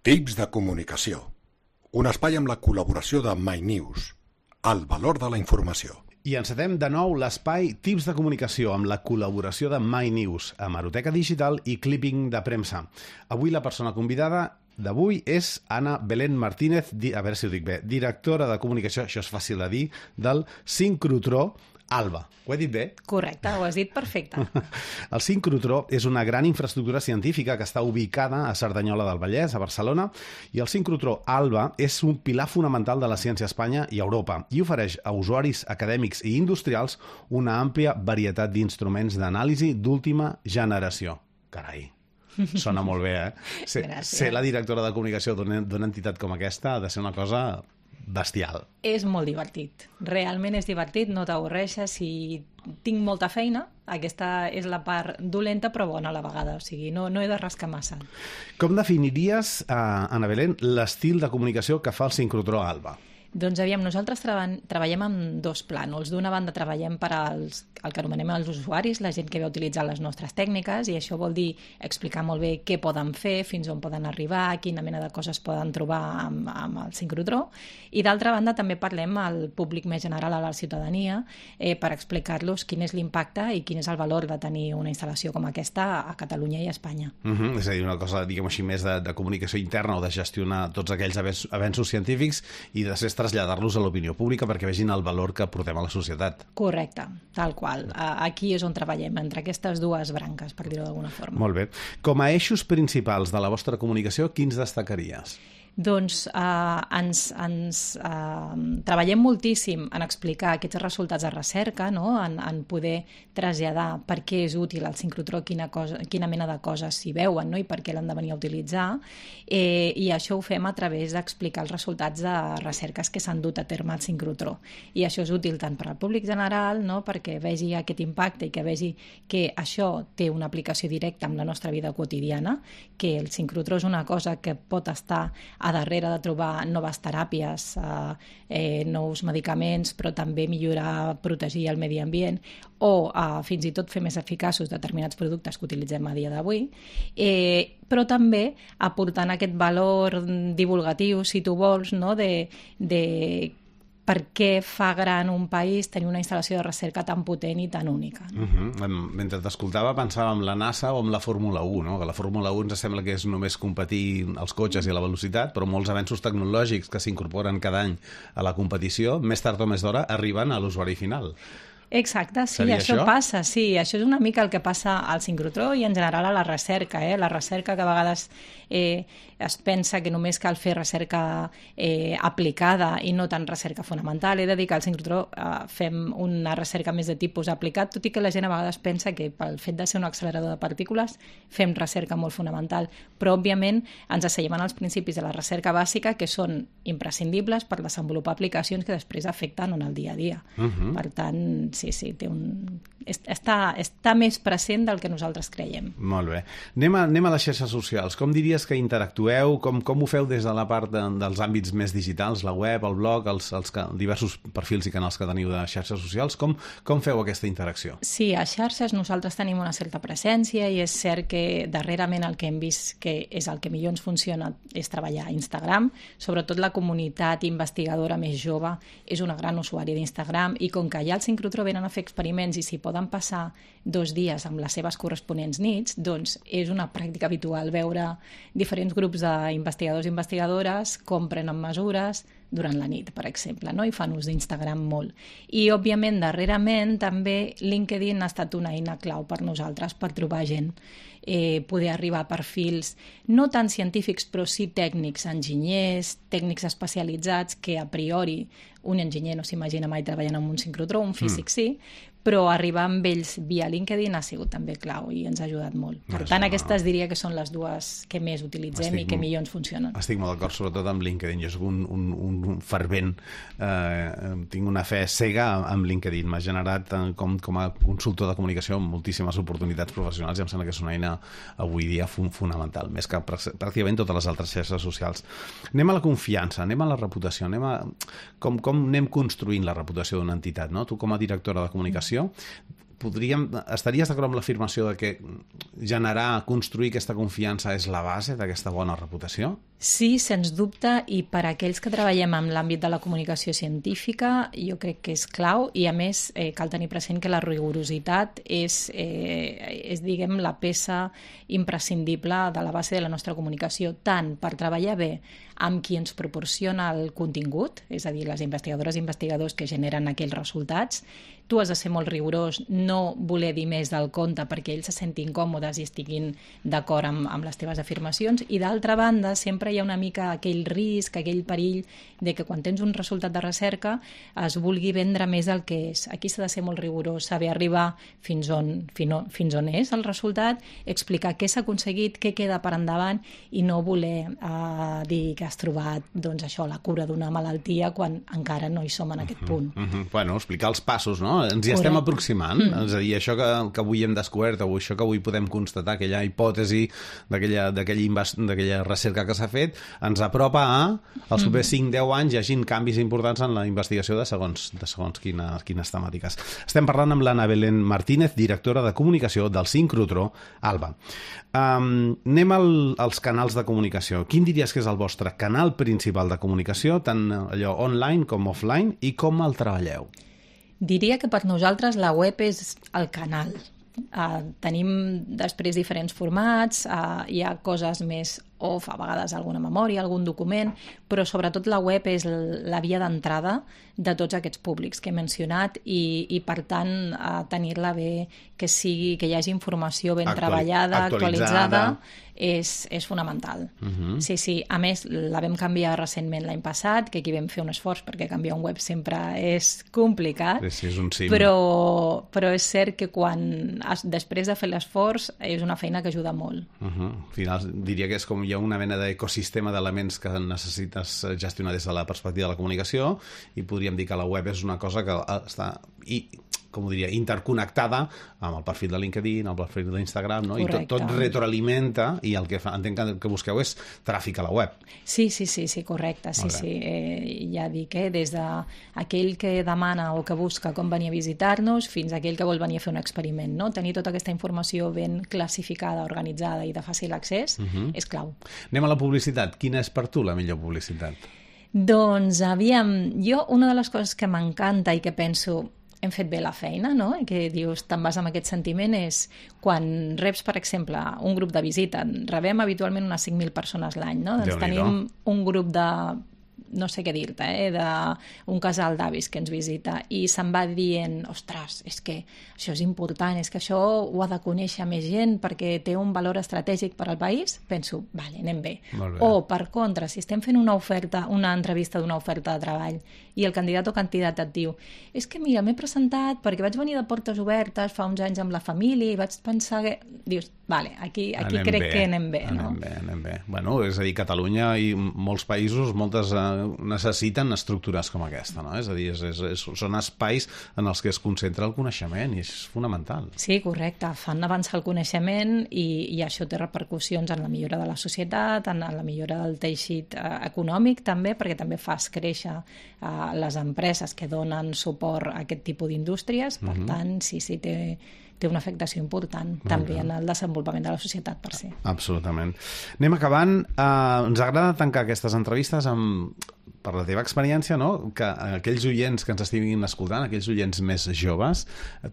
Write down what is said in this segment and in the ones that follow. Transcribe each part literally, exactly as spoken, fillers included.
Tips de comunicació. Un espai amb la col·laboració de MyNews. El valor de la informació. I encetem de nou l'espai Tips de comunicació amb la col·laboració de MyNews, Hemeroteca Digital i Clipping de Premsa. Avui la persona convidada d'avui és Anna Belén Martínez, a veure si ho dic bé, directora de comunicació, això és fàcil de dir, del sincrotró Alba. Ho he dit bé? Correcte, ho has dit perfecte. El sincrotró és una gran infraestructura científica que està ubicada a Cerdanyola del Vallès, a Barcelona, i el sincrotró Alba és un pilar fonamental de la ciència a Espanya i a Europa i ofereix a usuaris acadèmics i industrials una àmplia varietat d'instruments d'anàlisi d'última generació. Carai, sona molt bé, eh? Ser, ser la directora de comunicació d'una entitat com aquesta ha de ser una cosa bestial. És molt divertit. Realment és divertit, no t'avorreixes. Si tinc molta feina, aquesta és la part dolenta però bona a la vegada. O sigui, no, no he de rascar massa. Com definiries, eh, Anna Belén, l'estil de comunicació que fa el sincrotró Alba? Doncs aviam, nosaltres treba treballem amb dos plànols. D'una banda treballem per als, el que anomenem els usuaris, la gent que ve a utilitzar les nostres tècniques, i això vol dir explicar molt bé què poden fer, fins on poden arribar, quina mena de coses poden trobar amb, amb el sincrotró. I d'altra banda també parlem al públic més general, a la ciutadania, eh, per explicar-los quin és l'impacte i quin és el valor de tenir una instal·lació com aquesta a Catalunya i a Espanya. Uh -huh. És a dir, una cosa, diguem així, més de, de comunicació interna o de gestionar tots aquells avenços científics i després traslladar-los a l'opinió pública perquè vegin el valor que portem a la societat. Correcte, tal qual. Aquí és on treballem, entre aquestes dues branques, per dir-ho d'alguna forma. Molt bé. Com a eixos principals de la vostra comunicació, quins destacaries? Doncs eh, ens, ens eh, treballem moltíssim en explicar aquests resultats de recerca, no? en, en poder traslladar per què és útil el sincrotró, quina, cosa, quina mena de coses s'hi veuen, no? I per què l'han de venir a utilitzar, eh, i això ho fem a través d'explicar els resultats de recerques que s'han dut a terme al sincrotró. I això és útil tant per al públic general, no? Perquè vegi aquest impacte i que vegi que això té una aplicació directa amb la nostra vida quotidiana, que el sincrotró és una cosa que pot estar a darrere de trobar noves teràpies, eh, eh, nous medicaments, però també millorar, protegir el medi ambient, o eh, fins i tot fer més eficaços determinats productes que utilitzem a dia d'avui, eh, però també aportant aquest valor divulgatiu, si tu vols, no? de, de per què fa gran un país tenir una instal·lació de recerca tan potent i tan única. No? Uh -huh. Mentre t'escoltava pensava en la NASA o en la Fórmula u, no? Que la Fórmula u ens sembla que és només competir els cotxes i la velocitat, però molts avenços tecnològics que s'incorporen cada any a la competició, més tard o més d'hora, arriben a l'usuari final. Exacte, sí, Seria això, això passa, sí, això és una mica el que passa al sincrotró i en general a la recerca, eh? La recerca que a vegades eh, es pensa que només cal fer recerca eh, aplicada i no tant recerca fonamental. He de dir que al sincrotró eh, fem una recerca més de tipus aplicat, tot i que la gent a vegades pensa que pel fet de ser un accelerador de partícules fem recerca molt fonamental, però òbviament ens asseiem en els principis de la recerca bàsica que són imprescindibles per desenvolupar aplicacions que després afecten en el dia a dia. Uh-huh. Per tant, sí, sí, té un... està, està més present del que nosaltres creiem. Molt bé. Anem a, anem a les xarxes socials. Com diries que interactueu? Com, com ho feu des de la part de, dels àmbits més digitals, la web, el blog, els, els diversos perfils i canals que teniu de xarxes socials? Com, com feu aquesta interacció? Sí, a xarxes nosaltres tenim una certa presència i és cert que darrerament el que hem vist que és el que millor ens funciona és treballar a Instagram. Sobretot la comunitat investigadora més jove és una gran usuària d'Instagram i com que allà al sincrotró venen a fer experiments i s'hi poden passar dos dies amb les seves corresponents nits, doncs és una pràctica habitual veure diferents grups d'investigadors i investigadores com prenen mesures durant la nit, per exemple, no? I fan ús d'Instagram molt. I, òbviament, darrerament també LinkedIn ha estat una eina clau per nosaltres per trobar gent, eh, poder arribar a perfils no tan científics però sí tècnics, enginyers, tècnics especialitzats que a priori un enginyer no s'imagina mai treballant en un sincrotró, un físic mm. sí, però arribar amb ells via LinkedIn ha sigut també clau i ens ha ajudat molt. Per tant, aquestes diria que són les dues que més utilitzem estic, i que millor ens funcionen. Estic molt d'acord, sobretot amb LinkedIn. Jo soc un, un, un fervent, eh, tinc una fe cega amb LinkedIn. M'ha generat eh, com, com a consultor de comunicació moltíssimes oportunitats professionals i em sembla que és una eina avui dia fonamental, més que pràcticament totes les altres xarxes socials. Anem a la confiança, anem a la reputació, anem a com, com anem construint la reputació d'una entitat, no? Tu com a directora de comunicació podríem, estaries d'acord amb l'afirmació de que generar, construir aquesta confiança és la base d'aquesta bona reputació? Sí, sens dubte, i per a aquells que treballem en l'àmbit de la comunicació científica jo crec que és clau, i a més eh, cal tenir present que la rigorositat és, eh, és diguem, la peça imprescindible de la base de la nostra comunicació, tant per treballar bé amb qui ens proporciona el contingut, és a dir, les investigadores i investigadors que generen aquells resultats. Tu has de ser molt rigorós, no voler dir més del compte perquè ells se sentin còmodes i estiguin d'acord amb, amb les teves afirmacions, i d'altra banda sempre hi ha una mica aquell risc, aquell perill de que quan tens un resultat de recerca es vulgui vendre més del que és. Aquí s'ha de ser molt rigorós, saber arribar fins on, fins on és el resultat, explicar què s'ha aconseguit, què queda per endavant, i no voler eh, dir que has trobat doncs, això, la cura d'una malaltia quan encara no hi som en aquest punt. Uh -huh, uh -huh. Bueno, explicar els passos, no? Ens hi estem aproximant, mm. és a dir, això que, que avui hem descobert, o això que avui podem constatar, aquella hipòtesi d'aquella recerca que s'ha fet, ens apropa a els propers cinc deu anys hi hagin canvis importants en la investigació de segons, de segons quines, quines temàtiques. Estem parlant amb l'Anna Belén Martínez, directora de comunicació del sincrotró ALBA. Um, anem al, als canals de comunicació. Quin diries que és el vostre canal principal de comunicació, tant allò online com offline, i com el treballeu? Diria que per nosaltres la web és el canal. Uh, tenim després diferents formats, uh, hi ha coses més off, a vegades alguna memòria, algun document, però sobretot la web és la via d'entrada de tots aquests públics que he mencionat, i, i per tant uh, tenir-la bé, que sigui, que hi hagi informació ben Actuali treballada, actualitzada, actualitzada és, és fonamental. Uh-huh. Sí, sí. A més, la vam canviar recentment l'any passat, que aquí vam fer un esforç perquè canviar un web sempre és complicat, sí, sí, és un sim. però, però és cert que quan després de fer l'esforç és una feina que ajuda molt. Uh-huh. Al final diria que és com hi ha una mena d'ecosistema d'elements que necessites gestionar des de la perspectiva de la comunicació, i podríem dir que la web és una cosa que està i, com ho diria, interconnectada amb el perfil de LinkedIn, amb el perfil d'Instagram, no? I tot, tot retroalimenta, i el que fa, entenc que, que busqueu és tràfic a la web. Sí, sí, sí, sí, correcte. Sí, sí. Eh, ja dic, eh, des d'aquell que demana o que busca com venir a visitar-nos fins a aquell que vol venir a fer un experiment, no? Tenir tota aquesta informació ben classificada, organitzada i de fàcil accés uh-huh. és clau. Anem a la publicitat. Quina és per tu la millor publicitat? Doncs, aviam, jo una de les coses que m'encanta i que penso hem fet bé la feina, no? I que dius, te'n vas amb aquest sentiment, és quan reps, per exemple, un grup de visita. Rebem habitualment unes cinc mil persones l'any, no? Doncs tenim un grup de, no sé què dir-te, eh? d'un casal d'avis que ens visita, i se'n va dient, ostres, és que això és important, és que això ho ha de conèixer més gent perquè té un valor estratègic per al país. Penso, vale, anem bé. O, per contra, si estem fent una oferta, una entrevista d'una oferta de treball, i el candidat o candidata et diu, és que mira, m'he presentat perquè vaig venir de portes obertes fa uns anys amb la família i vaig pensar que... Dius, vale, aquí, aquí crec bé, que anem bé, anem no? bé, anem bé. Bueno, és a dir, Catalunya i molts països, moltes eh, necessiten estructures com aquesta, no? És a dir, és, és, és, són espais en els que es concentra el coneixement, i és fonamental. Sí, correcte. Fan avançar el coneixement, i, i això té repercussions en la millora de la societat, en la millora del teixit eh, econòmic també, perquè també fas créixer eh, les empreses que donen suport a aquest tipus d'indústries. Per uh-huh. tant, sí, sí, té, té una afectació important Molt també bé. En el desenvolupament de la societat per si. Absolutament. Anem acabant. Uh, ens agrada tancar aquestes entrevistes amb, per la teva experiència, no? Que aquells oients que ens estiguin escoltant, aquells oients més joves,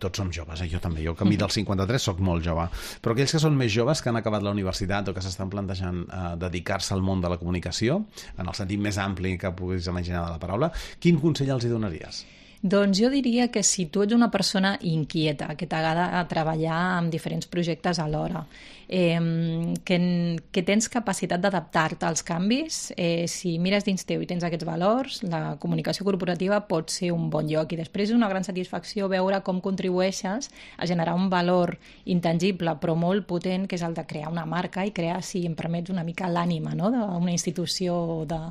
tots som joves, eh? Jo també, jo que a mi del cinquanta-tres soc molt jove, però aquells que són més joves, que han acabat la universitat o que s'estan plantejant uh, dedicar-se al món de la comunicació, en el sentit més ampli que puguis imaginar de la paraula, quin consell els hi donaries? Doncs jo diria que si tu ets una persona inquieta, que t'agrada treballar en diferents projectes alhora, eh, que, que tens capacitat d'adaptar-te als canvis, eh, si mires dins teu i tens aquests valors, la comunicació corporativa pot ser un bon lloc, i després és una gran satisfacció veure com contribueixes a generar un valor intangible però molt potent, que és el de crear una marca i crear, si em permets, una mica l'ànima, no?, d'una institució o de,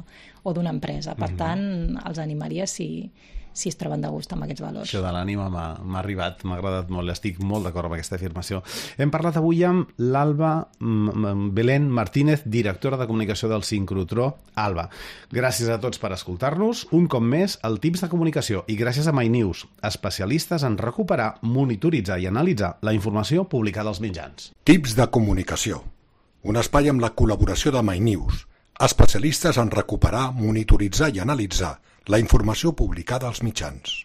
o d'una empresa. Per mm-hmm. tant, els animaria si... si es troben de gust amb aquests valors. Això de l'ànima m'ha arribat, m'ha agradat molt, estic molt d'acord amb aquesta afirmació. Hem parlat avui amb l'Alba Belén Martínez, directora de comunicació del sincrotró. Alba, gràcies a tots per escoltar-nos. Un cop més, el Tips de Comunicació, i gràcies a MyNews, especialistes en recuperar, monitoritzar i analitzar la informació publicada als mitjans. Tips de Comunicació, un espai amb la col·laboració de MyNews, especialistes en recuperar, monitoritzar i analitzar la informació publicada als mitjans.